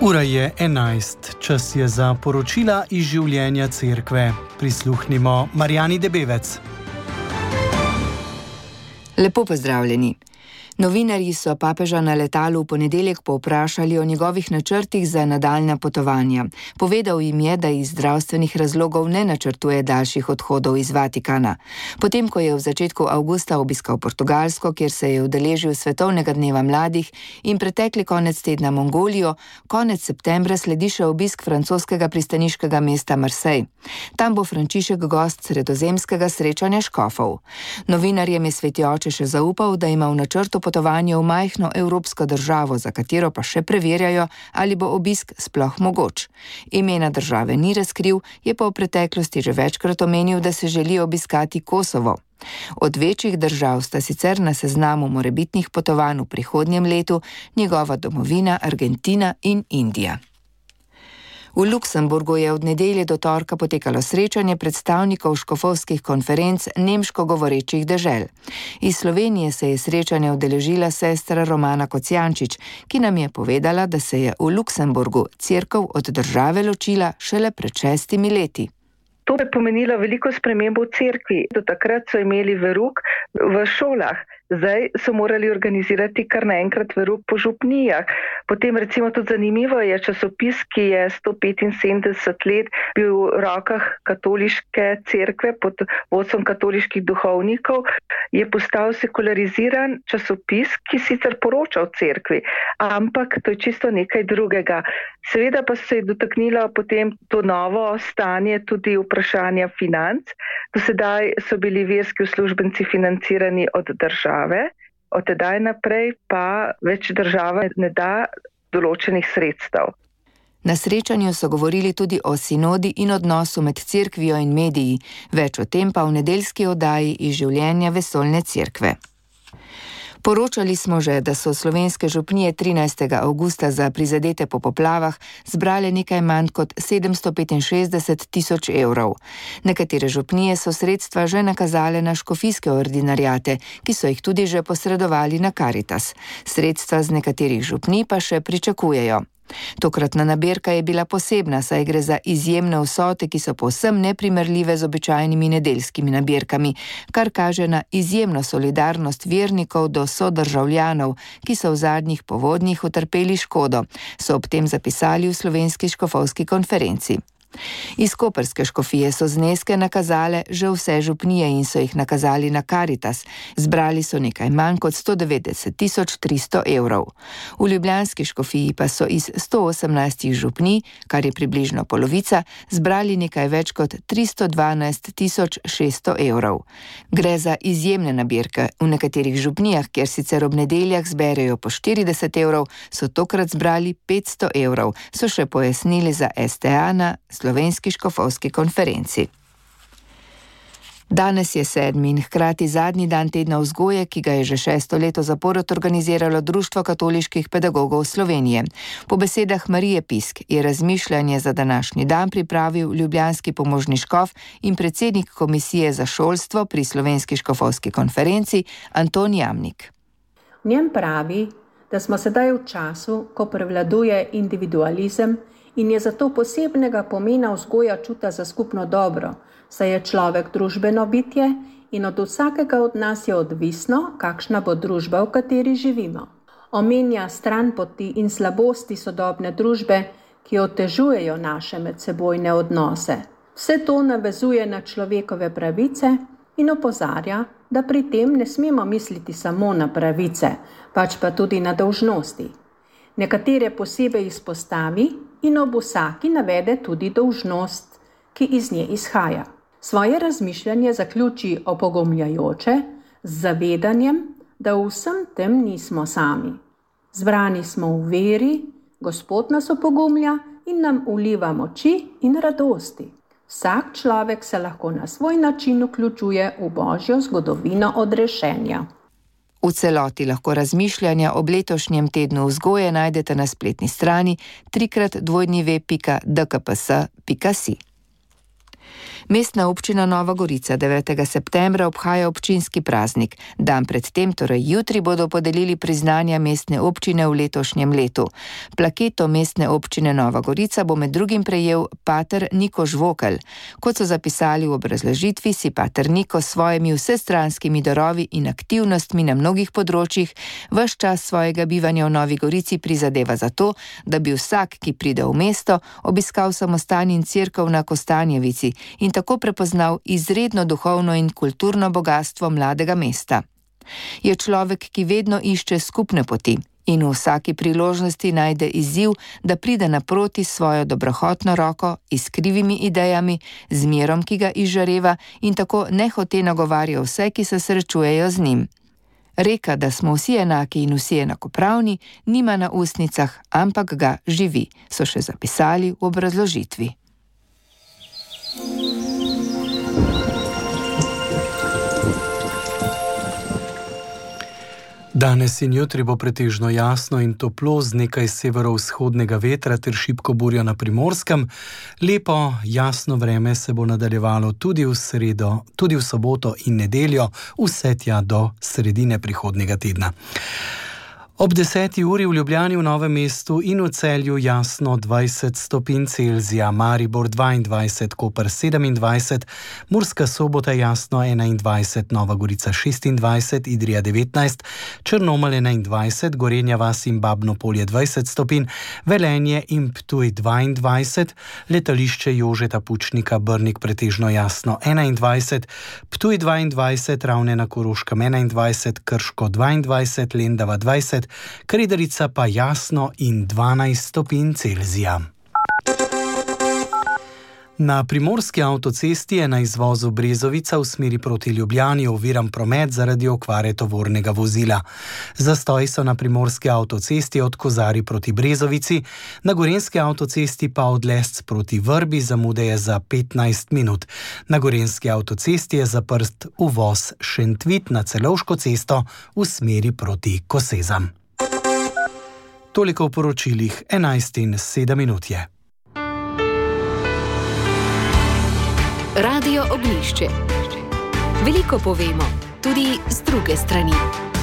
Ura je 11, čas je za poročila iz življenja cerkve. Prisluhnimo Marjani Debevec. Lepo pozdravljeni. Novinarji so papeža na letalu v ponedeljek povprašali o njegovih načrtih za nadaljnja potovanja. Povedal jim je, da iz zdravstvenih razlogov ne načrtuje daljših odhodov iz Vatikana. Potem, ko je v začetku avgusta obiskal Portugalsko, kjer se je udeležil Svetovnega dneva mladih, in pretekli konec tedna Mongolijo, konec septembra sledi še obisk francoskega pristaniškega mesta Marseille. Tam bo Frančišek gost sredozemskega srečanja škofov. Novinarjem je sveti oče še zaupal, da ima v načrtu potovanje v majhno evropsko državo, za katero pa še preverjajo, ali bo obisk sploh mogoč. Imena države ni razkril, je pa v preteklosti že večkrat omenil, da se želi obiskati Kosovo. Od večjih držav sta sicer na seznamu morebitnih potovanj v prihodnjem letu njegova domovina Argentina in Indija. V Luksemburgu je od nedelje do torka potekalo srečanje predstavnikov škofovskih konferenc nemško govorečih dežel. Iz Slovenije se je srečanje udeležila sestra Romana Kocijančič, ki nam je povedala, da se je v Luksemburgu cerkev od države ločila šele pred 6 leti. To je pomenilo veliko spremembo v cerkvi. Do takrat so imeli verouk v šolah. Zdaj so morali organizirati kar naenkrat verouk po župnijah. Potem recimo tudi zanimivo je časopis, ki je 175 let bil v rokah katoliške cerkve pod vodstvom katoliških duhovnikov, je postal sekulariziran časopis, ki sicer poroča o cerkvi, ampak to je čisto nekaj drugega. Seveda pa se je dotaknilo potem to novo stanje tudi vprašanja financ. Do sedaj so bili verski uslužbenci financirani od države, od tedaj naprej pa več država ne da določenih sredstev. Na srečanju so govorili tudi o sinodi in odnosu med cerkvijo in mediji, več o tem pa v nedeljski oddaji iz življenja vesoljne cerkve. Poročali smo že, da so slovenske župnije 13. avgusta za prizadete po poplavah zbrale nekaj manj kot 765 tisoč evrov. Nekatere župnije so sredstva že nakazale na škofijske ordinariate, ki so jih tudi že posredovali na Karitas. Sredstva z nekaterih župnij pa še pričakujejo. Tokratna nabirka je bila posebna, saj gre za izjemne vsote, ki so povsem neprimerljive z običajnimi nedeljskimi nabirkami, kar kaže na izjemno solidarnost vernikov do sodržavljanov, ki so v zadnjih povodnjih utrpeli škodo, so ob tem zapisali v Slovenski škofovski konferenci. Iz koprske škofije so zneske nakazale že vse župnije in so jih nakazali na Karitas. Zbrali so nekaj manj kot 190 300 evrov. V ljubljanski škofiji pa so iz 118 župnij, kar je približno polovica, zbrali nekaj več kot 312 600 evrov. Gre za izjemne nabirke. V nekaterih župnijah, kjer sicer ob nedeljah zberejo po 40 evrov, so tokrat zbrali 500 evrov, so še pojasnili za STA na Slovenski škofovski konferenci. Danes je 7. in hkrati zadnji dan tedna vzgoje, ki ga je že 6. leto zapored organiziralo Društvo katoliških pedagogov Slovenije. Po besedah Marije Pisk je razmišljanje za današnji dan pripravil ljubljanski pomožni škof in predsednik komisije za šolstvo pri Slovenski škofovski konferenci Anton Jamnik. V njem pravi, da smo sedaj v času, ko prevladuje individualizem in je zato posebnega pomena vzgoja čuta za skupno dobro, saj je človek družbeno bitje in od vsakega od nas je odvisno, kakšna bo družba, v kateri živimo. Omenja stranpoti in slabosti sodobne družbe, ki otežujejo naše medsebojne odnose. Vse to navezuje na človekove pravice in opozarja, da pri tem ne smemo misliti samo na pravice, pač pa tudi na dolžnosti. Nekatere posebej izpostavi in ob vsaki navede tudi dolžnost, ki iz nje izhaja. Svoje razmišljanje zaključi opogumljajoče z zavedanjem, da v vsem tem nismo sami. Zbrani smo v veri, Gospod nas opogumlja in nam vliva moči in radosti. Vsak človek se lahko na svoj način vključuje v Božjo zgodovino odrešenja. V celoti lahko razmišljanja ob letošnjem tednu vzgoje najdete na spletni strani www.dkps.si. Mestna občina Nova Gorica 9. septembra obhaja občinski praznik. Dan predtem, torej jutri, bodo podelili priznanja mestne občine v letošnjem letu. Plaketo mestne občine Nova Gorica bo med drugim prejel pater Niko Žvokelj. Kot so zapisali v obrazložitvi, si pater Niko s svojimi vsestranskimi darovi in aktivnostmi na mnogih področjih ves čas svojega bivanja v Novi Gorici prizadeva za to, da bi vsak, ki pride v mesto, obiskal samostan in cerkev na Kostanjevici in tako prepoznal izredno duhovno in kulturno bogastvo mladega mesta. Je človek, ki vedno išče skupne poti in v vsaki priložnosti najde izziv, da pride naproti svojo dobrohotno roko, iskrivimi idejami, z mirom, ki ga izžareva in tako nehote nagovarja vse, ki se srečujejo z njim. Reka, da smo vsi enaki in vsi enakopravni, nima na ustnicah, ampak ga živi, so še zapisali v obrazložitvi. Danes in jutri bo pretežno jasno in toplo z nekaj severovzhodnega vetra ter šibko burjo na Primorskem. Lepo, jasno vreme se bo nadaljevalo tudi v sredo, tudi v soboto in nedeljo, vse tja do sredine prihodnjega tedna. Ob 10. uri v Ljubljani, v Novem mestu in v Celju jasno 20 stopinj Celzija, Maribor 22, Koper 27, Murska Sobota jasno 21, Nova Gorica 26, Idrija 19, Črnomelj 21, Gorenja vas in Babno Polje 20 stopinj, Velenje in Ptuj 22, Letališče Jožeta Pučnika Brnik pretežno jasno 21, Ptuj 22, Ravne na Koroškem 21, Krško 22, Lendava 20, Krederica pa jasno in 12 stopinj Celzija. Na Primorski avtocesti je na izvozu Brezovica v smeri proti Ljubljani oviran promet zaradi okvare tovornega vozila. Zastoji so na Primorski avtocesti od Kozari proti Brezovici, na Gorenjski avtocesti pa od Lesc proti Vrbi zamude je za 15 minut. Na Gorenjski avtocesti je zaprt uvoz Šentvit na Celovško cesto v smeri proti Kosezam. Toliko v poročilih, 11:07 je. Radio Oglišče. Veliko povemo, tudi z druge strani.